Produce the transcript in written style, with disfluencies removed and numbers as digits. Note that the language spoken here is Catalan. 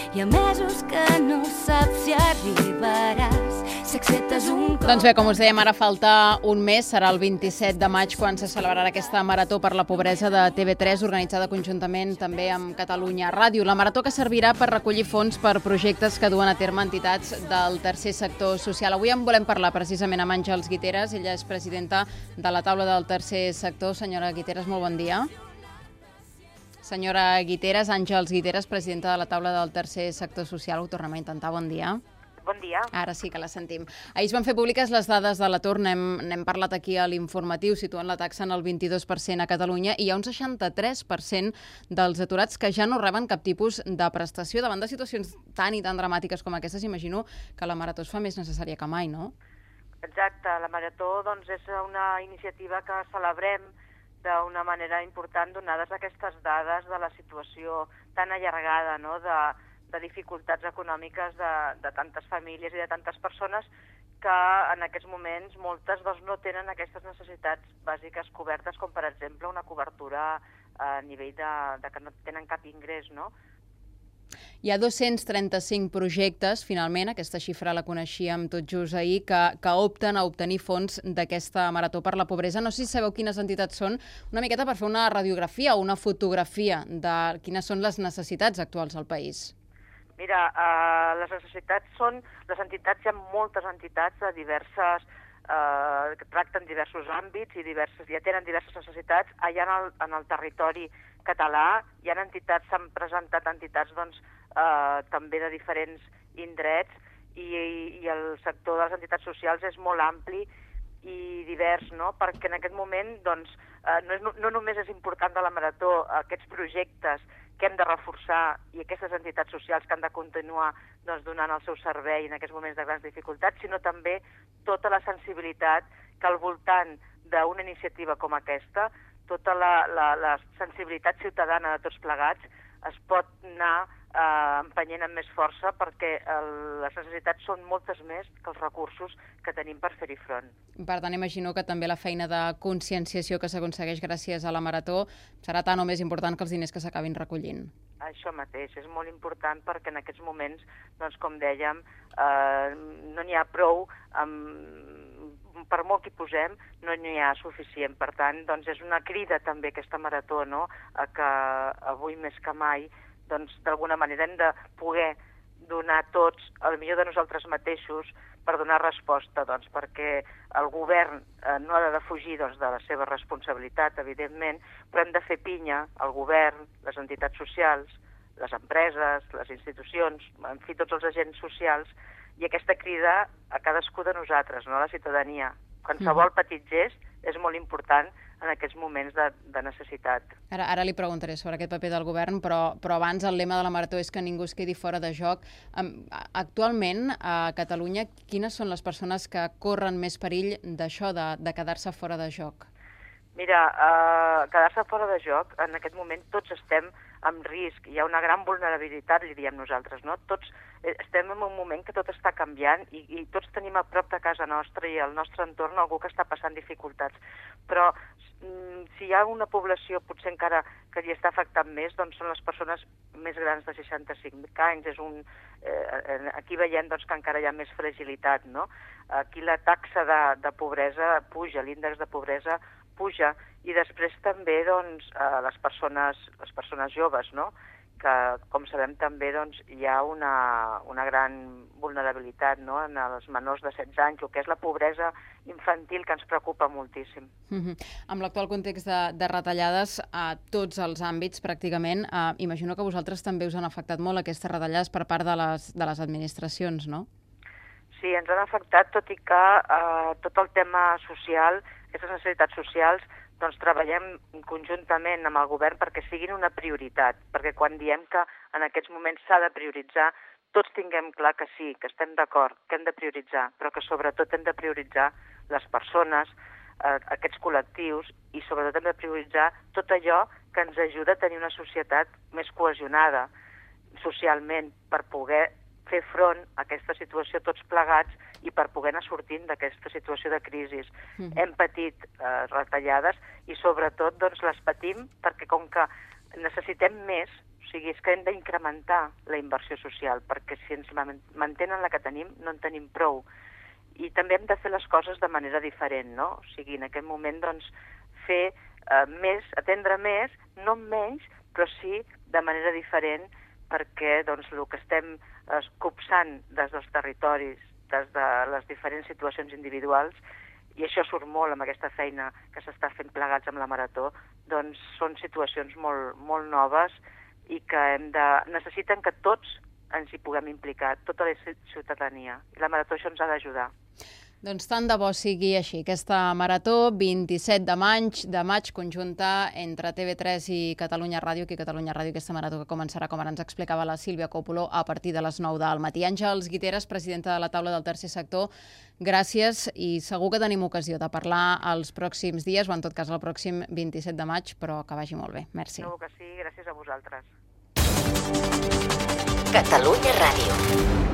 Hi ha mesos que no saps si arribaràs, si acceptes un cop... Doncs bé, com us dèiem, ara falta un mes, serà el 27 de maig quan se celebrarà aquesta Marató per la Pobresa de TV3, organitzada conjuntament també amb Catalunya Ràdio. La Marató que servirà per recollir fons per projectes que duen a terme entitats del tercer sector social. Avui en volem parlar precisament amb Àngels Guiteras, ella és presidenta de la taula del tercer sector. Senyora Guiteras, molt bon dia. Senyora Guiteras, Àngels Guiteras, presidenta de la taula del tercer sector social. Ho tornem a intentar, bon dia. Bon dia. Ara sí que la sentim. Ahir es van fer públiques les dades de l'atur, n'hem parlat aquí a l'informatiu, situant la taxa en el 22% a Catalunya, i hi ha un 63% dels aturats que ja no reben cap tipus de prestació. Davant de situacions tan i tan dramàtiques com aquestes, imagino que la Marató es fa més necessària que mai, no? Exacte, la Marató doncs, és una iniciativa que celebrem d'una manera important, donades aquestes dades de la situació tan allargada, no?, de dificultats econòmiques de tantes famílies i de tantes persones que en aquests moments moltes doncs, no tenen aquestes necessitats bàsiques cobertes, com per exemple una cobertura a nivell de que no tenen cap ingrés, no? Hi ha 235 projectes, finalment, aquesta xifra la coneixíem tot just ahir, que opten a obtenir fons d'aquesta Marató per la Pobresa. No sé si sabeu quines entitats són, una miqueta per fer una radiografia o una fotografia de quines són les necessitats actuals al país. Mira, les necessitats són... Les entitats, hi ha moltes entitats de diverses... que tracten diversos àmbits i ja tenen diverses necessitats. Allà en el territori català hi ha entitats, s'han presentat entitats doncs, també de diferents indrets i el sector de les entitats socials és molt ampli i divers, no? Perquè en aquest moment doncs, no només és important de la Marató aquests projectes que hem de reforçar i aquestes entitats socials que han de continuar doncs, donant el seu servei en aquests moments de grans dificultats, sinó també tota la sensibilitat que al voltant d'una iniciativa com aquesta, tota la sensibilitat ciutadana de tots plegats es pot anar empenyent amb més força perquè les necessitats són moltes més que els recursos que tenim per fer-hi front. Per tant, imagino que també la feina de conscienciació que s'aconsegueix gràcies a la Marató serà tan o més important que els diners que s'acabin recollint. Això mateix, és molt important perquè en aquests moments, doncs, com dèiem, no n'hi ha prou, per molt que hi posem, no n'hi ha suficient. Per tant, doncs, és una crida també aquesta Marató, no?, a que avui més que mai doncs d'alguna manera hem de poder donar tots el millor de nosaltres mateixos per donar resposta, doncs, perquè el govern no ha de defugir doncs, de la seva responsabilitat, evidentment, però hem de fer pinya al govern, les entitats socials, les empreses, les institucions, en fi, tots els agents socials, i aquesta crida a cadascú de nosaltres, no?, a la ciutadania. Qualsevol petit gest és molt important en aquests moments de necessitat. Ara li preguntaré sobre aquest paper del govern, però abans el lema de la Marató és que ningú es quedi fora de joc. Actualment, a Catalunya, quines són les persones que corren més perill d'això, de quedar-se fora de joc? Mira, quedar-se fora de joc, en aquest moment tots estem en risc, hi ha una gran vulnerabilitat, li diem nosaltres, no? Tots estem en un moment que tot està canviant i tots tenim a prop de casa nostra i al nostre entorn algú que està passant dificultats. Però si hi ha una població potser encara que li està afectant més, doncs són les persones més grans de 65 anys. Aquí veiem doncs, que encara hi ha més fragilitat, no? Aquí la taxa de pobresa puja, l'índex de pobresa puja, i després també doncs, les persones joves, no?, que, com sabem, també doncs, hi ha una gran vulnerabilitat, no?, en els menors de 16 anys, el que és la pobresa infantil, que ens preocupa moltíssim. Amb l'actual context de retallades a tots els àmbits, pràcticament, imagino que a vosaltres també us han afectat molt aquestes retallades per part de les administracions, no? Sí, ens han afectat, tot i que tot el tema social, aquestes necessitats socials, doncs treballem conjuntament amb el govern perquè siguin una prioritat, perquè quan diem que en aquests moments s'ha de prioritzar, tots tinguem clar que sí, que estem d'acord, que hem de prioritzar, però que sobretot hem de prioritzar les persones, aquests col·lectius, i sobretot hem de prioritzar tot allò que ens ajuda a tenir una societat més cohesionada socialment per poder fer front a aquesta situació tots plegats i per poder anar sortint d'aquesta situació de crisi. Hem patit retallades i sobretot doncs, les patim perquè com que necessitem més, o O sigui, és que hem d'incrementar la inversió social, perquè si ens mantenen la que tenim, no en tenim prou. I també hem de fer les coses de manera diferent, no? O sigui, en aquest moment, doncs, fer més, atendre més, no menys, però sí de manera diferent, perquè doncs, el que estem copsant des dels territoris, des de les diferents situacions individuals, i això surt molt amb aquesta feina que s'està fent plegats amb la Marató, doncs són situacions molt, molt noves i que necessiten que tots ens hi puguem implicar, tota la ciutadania. I la Marató això ens ha d'ajudar. Doncs tant de bo sigui així. Aquesta Marató, 27 de maig, conjunta entre TV3 i Catalunya Ràdio, aquí a Catalunya Ràdio, aquesta Marató que començarà, com ara ens explicava la Sílvia Còpolo, a partir de les 9 del matí. Àngels Guiteras, presidenta de la taula del tercer sector, gràcies, i segur que tenim ocasió de parlar els pròxims dies, o en tot cas el pròxim 27 de maig, però que vagi molt bé. Merci. Segur que sí, gràcies a vosaltres. Catalunya Ràdio.